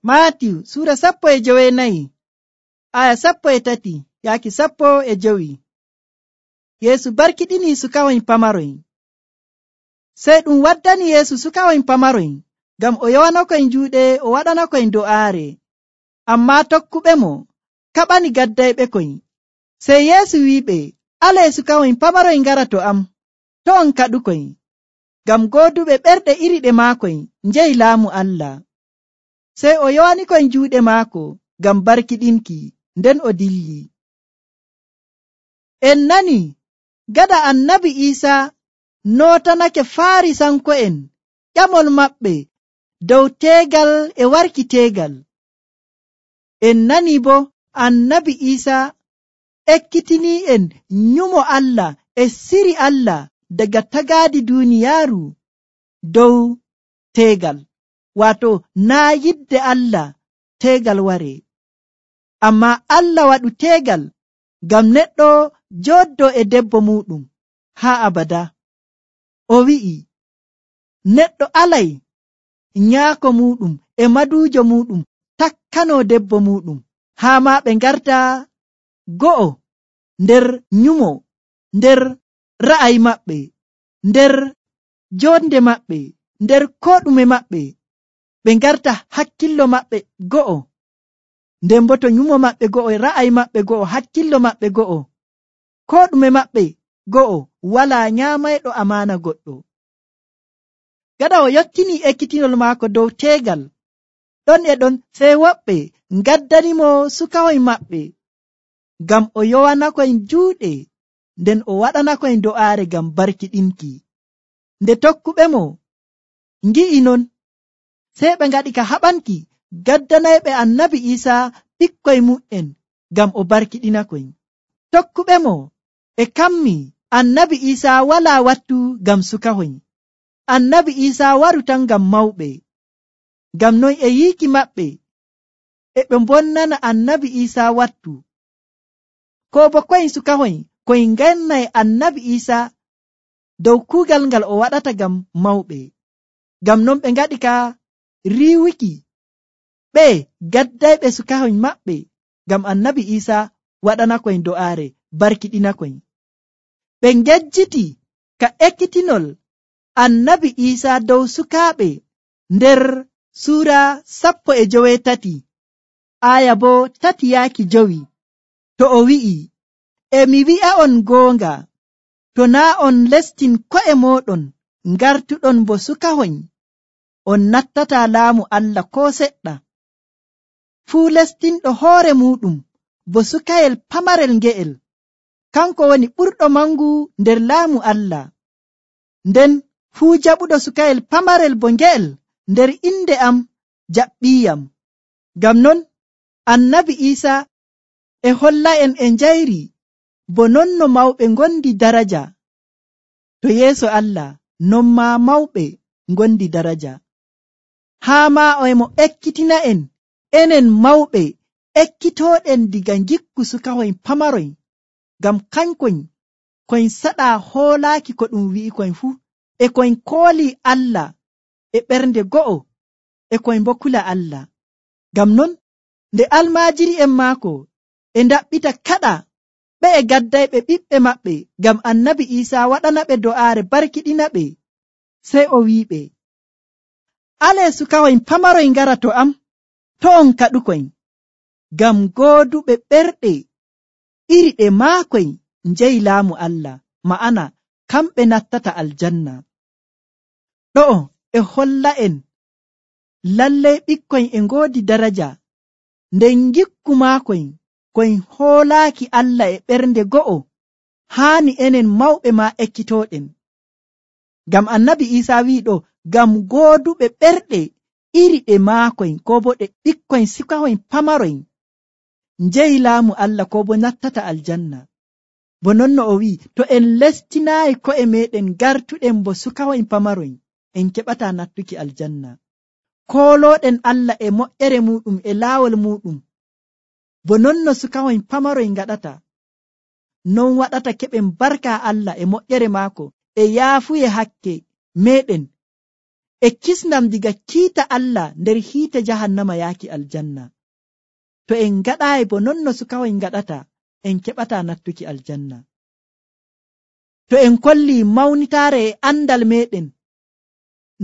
Maatiyu suura 14 aya 13 yaaki 15. Yeesu barkiɗini sukahoyn pamaroyn. Sey ɗum waddani Yeesu sukahoyn pamaroyn ngam o yowanakoyn juuɗe o waɗanakoyn do'aare. Ammaa tokkuɓemo kaɓani gaddayɓekoy. Sey Yeesu wi'iɓe, alee sukahoyn pamaroyn ngara to am, to on kaɗukoy, ngam gooduɓe ɓerɗe iri ɗe maakoy njehi laamu Allah. Sey o yowanikoyn juuɗe maako ngam barkiɗinki, nden o dilli. En nani gada annabi Iisaa nootanake Faarisanko'en ƴamol maɓɓe dow teegal e warki teegal. En nani bo annabi Iisaa ekkitini'en nyumo Allah e siri Allah daga tagaadi duuniyaaru dow teegal, waato naa yidde Allah teegal ware. Ammaa Allah waɗu teegal ngam neɗɗo jooɗdo e debbo muɗum haa abada. O wi'i neɗɗo alay nyaako muɗum e maduujo muɗum takkano debbo muɗum, haa maa ɓe ngarta go'o nder nyumo, nder ra'ayi maɓɓe, nder jonde maɓɓe, nder ko ɗume maɓɓe, ɓe ngarta hakkillo maɓɓe go'o. Nden bo to nyumo maɓɓe go'o, ra'ayi maɓɓe go'o, hakkillo maɓɓe go'o, ko ɗume maɓɓe go'o, walaa nyaamayɗo amaana goɗɗo. Gaɗa o yottini ekkitinol maako dow teegal ɗon e ɗon, sey woɓɓe ngaddanimo sukahoyn maɓɓe ngam o yowanakoyn juuɗe, nden o waɗanakoyn do'aare ngam barkiɗinki. Nde tokkuɓemo ngi'i non, sey ɓe ngaɗi ka haɓanki gaddanayɓe annabi Iisaa ɓikkoy mu'en ngam o barkiɗinakoy. Tokkuɓemo e kammi annabi Iisaa walaa wattu ngam sukahoyn. Annabi Iisaa waru tan ngam mawɓe. Ngam non e yiiki maɓɓe e ɓe mbonnana annabi Iisaa wattu. Ko bo koyn sukahoyn koyn ngannay annabi Iisaa dow kuugal ngal o waɗata ngam mawɓe. Ngam non ɓe ngaɗi ka riiwuki ɓe gaddayɓe sukahoyn maɓɓe ngam annabi Iisaa waɗanakoyn do'aare barkiɗinakoyn. Ɓe ngejjiti ka ekkitinol annabi Iisaa dow sukaaɓe nder suura 13 aya bo 3-5. To o wi'i, e mi wi'a'on goonga, to naa on lestin ko'e mooɗon ngartuɗon bo sukahoyn, on nattataa laamu Allah koo seɗɗa. Fuu lestinɗo hoore muɗum bo sukayel pamarel nge'el, kanko woni ɓurɗo mangu nder laamu Allah. Nden fuu jaɓuɗo sukayel pamarel bo nge'el nder inde am jaɓɓiyam. Ngam non annabi Iisaa e holla'en e njayri bo non no mawɓe ngondi daraja to yeeso Allah, non maa mawɓe ngondi daraja. Haa maa o emo ekkitina'en enen mawɓe ekkitooɗen diga ngikku sukahoyn pamaroyn, ngam kankoyn koyn saɗaa hoolaaki ko ɗum wi'ikoyn fuu, e koyn koolii Allah e ɓernde go'o, e koyn bo kula Allah. Ngam non nde almaajiri'en maako e ndaɓɓita kaɗa ɓe e gaddayɓe ɓiɓɓe maɓɓe ngam annabi Iisaa waɗana ɓe do'aare barkiɗina ɓe, sey o wi'iɓe, alee sukahoyn pamaroyn ngara to am, to on kaɗukoyn, ngam gooduɓe ɓerɗe iri ɗe maakoy njehi laamu Allah, ma'ana kamɓe nattata aljanna. Ɗo'o e holla'en lallay ɓikkoyn e ngoodi daraja, nden ngikku maakoyn koyn hoolaaki Allah e ɓernde go'o, haani enen mawɓe maa ekkitooɗen. Ngam annabi Iisaa wi'i ɗo, ngam gooduɓe ɓerɗe iri ɗe maakoyn, ko bo ɗe ɓikkoyn sukahoyn pamaroyn njehi laamu Allah, ko bo nattata aljanna. Bo non no o wi'i, to en lestinaayi ko'e meɗen gartuɗen bo sukahoyn pamaroyn, en keɓataa nattuki aljanna. Koolooɗen Allah e moƴƴere muɗum e laawol muɗum, bo non no sukahoyn pamaroyn ngaɗata, non waɗata keɓen barka Allah e moƴƴere maako e yaafuye hakke meɗen e kisnam diga kiita Allah nder hiite jahannama yaaki aljanna. To en ngaɗaayi bo non no sukahoy ngaɗata, en keɓata nattuki aljanna. To en kolli mawnitaare e andal meɗen,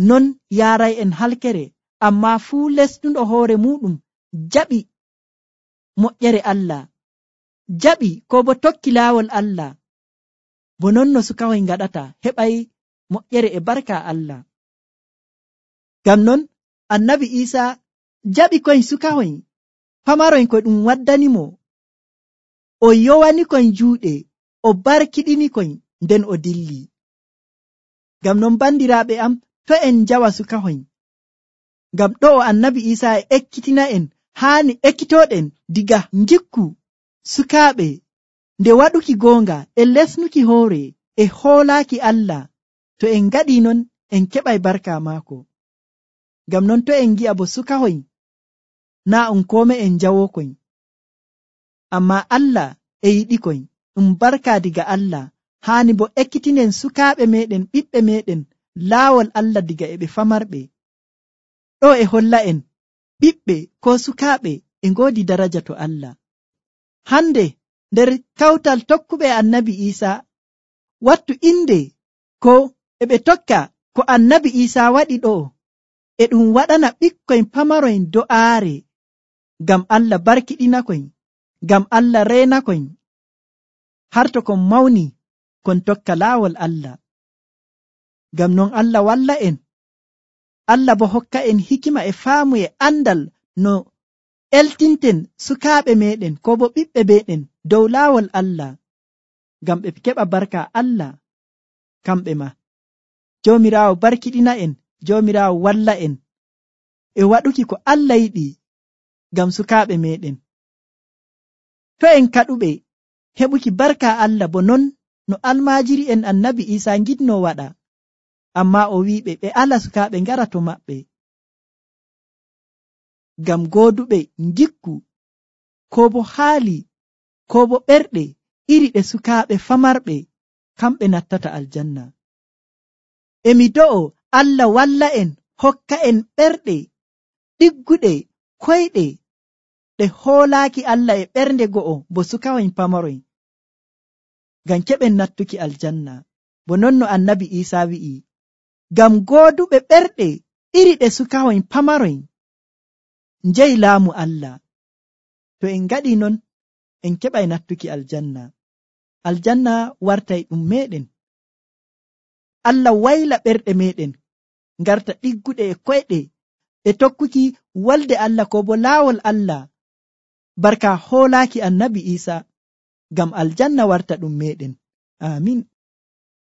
non yaaray en halkere, amma fuu lesnuɗo hoore muɗum jaɓi moƴƴere Allah, jaɓi ko bo tokki laawol Allah, bo non no sukahoy ngaɗata heɓay moƴƴere e barka Allah. Ngam non annabi Isa jaɓi koy sukahoy pamaroy ko ɗum waddanimo, o yowani koy juuɗe, o barkiɗini koy, nden o dilli. Ngam non bandiraaɓe am, to en jawa sukahoy, ngam ɗo o annabi Isa e ekkitina en haani ekkitoɗen diga jikku sukaaɓe nde waɗuki goonga e lesnuki hoore e hoolaaki Allah. To en ngaɗi non en keɓay barka maako. Ngam non to en gi'a bo sukahoy naa on kome en jawokoy, amma Allah e yiɗikoy, ɗum barka diga Allah. Haani bo ekkitinen sukaaɓe meɗen, ɓiɓɓe meɗen laawol Allah diga e ɓe famarɓe. Ɗo e holla en ɓiɓɓe ko sukaaɓe e ngoodi daraja to Allah. Hande nder kawtal tokkuɓe annabi Isa, wattu inde ko e ɓe tokka ko annabi Isa waɗi ɗo, e ɗum waɗana ɓikkoy pamaroy do'aare, ngam Allah barkiɗinakoy, ngam Allah reenakoy, har to kon mawni kon tokka laawol Allah. Ngam non Allah walla en, Allah bo hokka en hikima e faamu e andal no eltinten sukaaɓe meɗen ko bo ɓiɓɓe meɗen dow laawol Allah, ngam ɓe keɓa barka Allah kamɓe ma. Joomiraawo barkiɗina en, Joomiraawo walla en e waɗuki ko Allah yiɗi ngam sukaaɓe meɗen. To en kaɗuɓe heɓuki barka Allah bo non no almaajiri en annabi Isa ngiɗno waɗa, amma o wiɓe ɓe ala sukaaɓe ngara to maɓɓe, ngam gooduɓe ngikku ko bo haali ko bo ɓerɗe iri ɗe sukaaɓe famarɓe, kamɓe nattata aljanna. Emi do'o Allah walla en, hokka en ɓerɗe ɗigguɗe koyɗe ɗe hoolaaki Allah e ɓernde go'o bo sukahoy pamaroy, ngam keɓen nattuki aljanna. Bo non no annabi Isa wi'i, ngam gooduɓe ɓerɗe iri ɗe sukahoy pamaroy njeyi laamu Allah. To en ngaɗi non en keɓay nattuki aljanna. Aljanna wartay ɗum meɗen. Allah wayla ɓerɗe meɗen ngarta ɗigguɗe e koyɗe e tokkuki wolde Allah ko bo laawol Allah, barka hoolaaki annabi Isa, ngam aljanna warta ɗum meɗen. Amin.